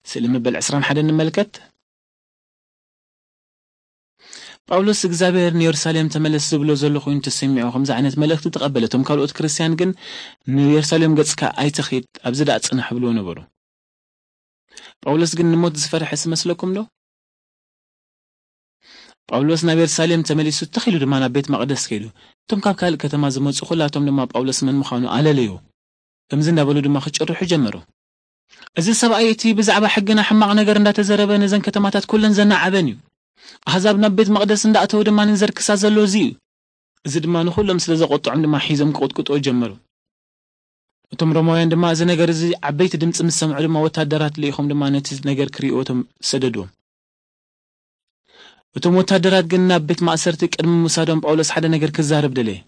ስእሊ መበል ዕስራን ሓደን ንመልከት። ጳውሎስ እግዚኣብሔር ንየሩሳሌም ተመለስ ዝብሎ ዘሎ ኮይኑ ተሰሚዑ ከምዚ ዓይነት መልእኽቲ ተቐበለ። እቶም ካልኦት ክርስትያን ግን ንየሩሳሌም ገጽካ ኣይትኺድ፣ ኣብዚ ደኣ ጽናሕ ብልዎ ነበሩ። ጳውሎስ ግን ንሞት ዝፈርሐ ስመስለኩም ዶ? ጳውሎስ ናብ የሩሳሌም ተመሊሱ፣ ትኽ ኢሉ ድማ ናብ ቤት መቕደስ ከይዱ። እቶም ካብ ካልእ ከተማ ዝመጹ ኩላቶም ድማ ጳውሎስ መን ምዃኑ ኣለለዩ። ከምዚ እንዳበሉ ድማ ክጭርሑ ጀመሩ። "እዚ ሰብኣይ እቲ ብዛዕባ ሕግና ሕማቕ ነገር እንዳተዘረበ ነዘን ከተማታት ኩለን ዘናዓበን እዩ። ኣህዛብ ናብ ቤት መቕደስ እንዳእተው ድማ ንዘርክሳ ዘሎ እዚ እዩ።" እዚ ድማ ንኹሎም ስለ ዘቖጥዖም ድማ ሒዞም ክቕጥቅጥዎ ጀመሩ። እቶም ሮማውያን ድማ እዚ ነገር እዚ ዓበይቲ ድምፂ ምስ ሰምዑ ድማ ወታደራት ልኢኾም ድማ ነቲ ነገር ክርእይዎ እቶም ሰደድዎም። እቶም ወታደራት ግን ናብ ቤት ማእሰርቲ ቅድሚ ምውሳዶም ጳውሎስ ሓደ ነገር ክዛረብ ደለየ።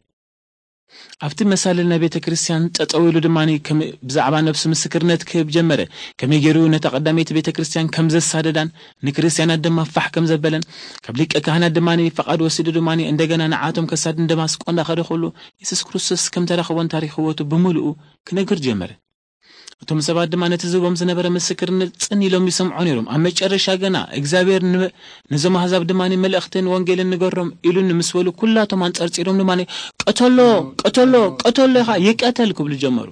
ኣብቲ መሳልል ናይ ቤተ ክርስቲያን ጠጠው ኢሉ ድማ ከም ብዛዕባ ነብሱ ምስክርነት ክህብ ጀመረ። ከመይ ገይሩ ነታ ቀዳመይቲ ቤተ ክርስቲያን ከም ዘሳደዳን ንክርስትያናት ድማ ፋሕ ከም ዘበለን ካብ ሊቀ ካህናት ድማ ፈቓድ ወሲዱ ድማ እንደገና ንዓቶም ከሳድን ደማስቆ እንዳኸደ ከሎ የሱስ ክርስቶስ ከም ተራኸቦን ታሪኽ ህይወቱ ብምሉኡ ክነግር ጀመረ። እቶም ሰባት ድማ ነቲ ዝህቦም ዝነበረ ምስክርነት ጽን ኢሎም ይሰምዑ ነይሮም። ኣብ መጨረሻ ገና እግዚኣብሔር ን-፣ ነዞም ኣህዛብ ድማ መልእኽትን ወንጌልን ንገሮም ኢሉን ምስ በሉ ኩላቶም ኣንጸርጺሮም ድማ "ቀተሎ፣ ቀተሎ፣ ቀተሎ ኢኻ፣ ይቀተል" ክብሉ ጀመሩ።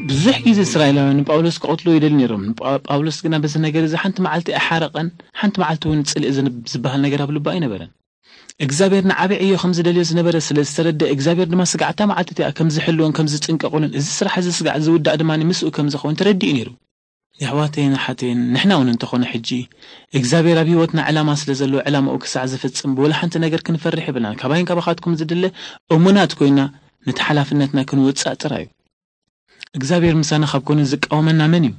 ብዙሕ ግዜ እስራኤላውያን ንጳውሎስ ክቐትልዎ ይደልዩ ነይሮም። ንጳ-፣ ጳውሎስ ግና በዚ ነገር እዚ ሓንቲ መዓልቲ ኣይሓረቐን፣ ሓንቲ መዓልቲ እውን ጽልኢ ዝን-፣ ዝበሃል ነገር ኣብ ልቡ ኣይነበረን። እግዚኣብሔር ንዓቢ ዕዮ ከም ዝደልዮ ዝነበረ ስለ ዝተረድአ፣ እግዚኣብሔር ድማ ስጋዕታ መዓልቲ እቲኣ ከም ዝሕልዎን ከም ዝጥንቀቕሉን፣ እዚ ስራሕ እዚ ስጋዕ ዝውዳእ ድማ ምስኡ ከም ዝኸውን ተረዲኡ ነይሩ። የሕዋተይን ኣሓተይን፣ ንሕና እውን እንተኾነ ሕጂ እግዚኣብሔር ኣብ ህይወትና ዕላማ ስለ ዘለዎ ዕላማኡ ክሳዕ ዝፍጽም ብወላ ሓንቲ ነገር ክንፈርሕ የብልናን። ካባይን ካባኻትኩም ዝድለ እሙናት ኮይና ነቲ ሓላፍነትና ክንውጻእ ጥራይ እዩ። እግዚኣብሔር ምሳና ካብ ኮነ ዝቃወመና መን እዩ?